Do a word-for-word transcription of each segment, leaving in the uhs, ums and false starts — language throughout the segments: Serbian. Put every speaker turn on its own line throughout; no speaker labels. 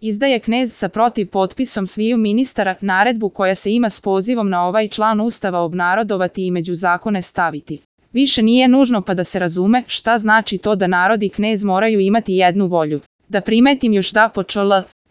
Izdaje knez sa protiv potpisom sviju ministara naredbu koja se ima s pozivom na ovaj član Ustava obnarodovati i među zakone staviti. Više nije nužno pa da se razume šta znači to da narod i knez moraju imati jednu volju. Da primetim još da po čl.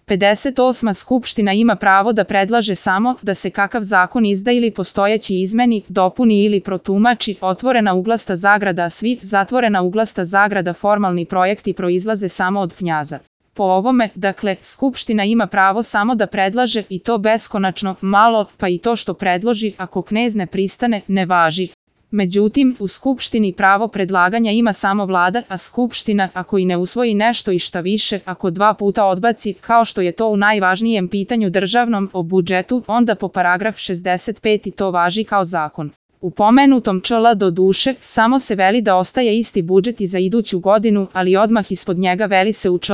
pedeset osma Skupština ima pravo da predlaže samo da se kakav zakon izda ili postojeći izmeni, dopuni ili protumači, otvorena uglasta zagrada, a svi, zatvorena uglasta zagrada, formalni projekti proizlaze samo od knjaza. Po ovome, dakle, Skupština ima pravo samo da predlaže i to beskonačno malo, pa i to što predloži, ako knez ne pristane, ne važi. Međutim, u Skupštini pravo predlaganja ima samo vlada, a Skupština, ako i ne usvoji nešto i šta više, ako dva puta odbaci, kao što je to u najvažnijem pitanju državnom o budžetu, onda po paragraf šezdeset pet to važi kao zakon. U pomenutom čl. do duše, samo se veli da ostaje isti budžet i za iduću godinu, ali odmah ispod njega veli se u čl.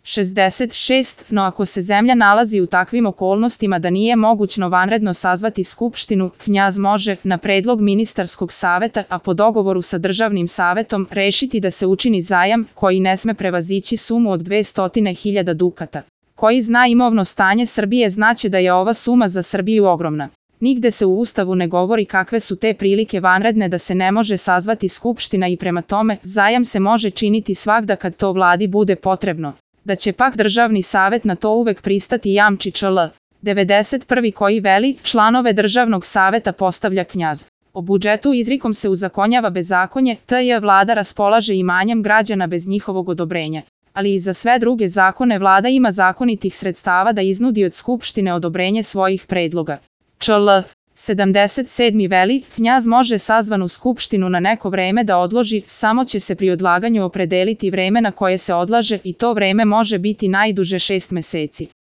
šezdeset šest, no ako se zemlja nalazi u takvim okolnostima da nije mogućno vanredno sazvati skupštinu, knjaz može, na predlog ministarskog saveta, a po dogovoru sa državnim savetom, rešiti da se učini zajam, koji ne sme prevazići sumu od dvesta hiljada dukata. Koji zna imovno stanje Srbije znaće da je ova suma za Srbiju ogromna. Nigde se u Ustavu ne govori kakve su te prilike vanredne da se ne može sazvati skupština i prema tome, zajam se može činiti svagda kad to vladi bude potrebno. Da će pak državni savet na to uvek pristati jamči čl. devedeset prvi koji veli, članove državnog saveta postavlja knjaz. O budžetu izrikom se uzakonjava bezakonje, tj. vlada raspolaže imanjem građana bez njihovog odobrenja. Ali i za sve druge zakone vlada ima zakonitih sredstava da iznudi od skupštine odobrenje svojih predloga. Čl. sedamdeset sedmi veli, knjaz može sazvanu skupštinu na neko vreme da odloži, samo će se pri odlaganju opredeliti vreme na koje se odlaže i to vreme može biti najduže šest meseci.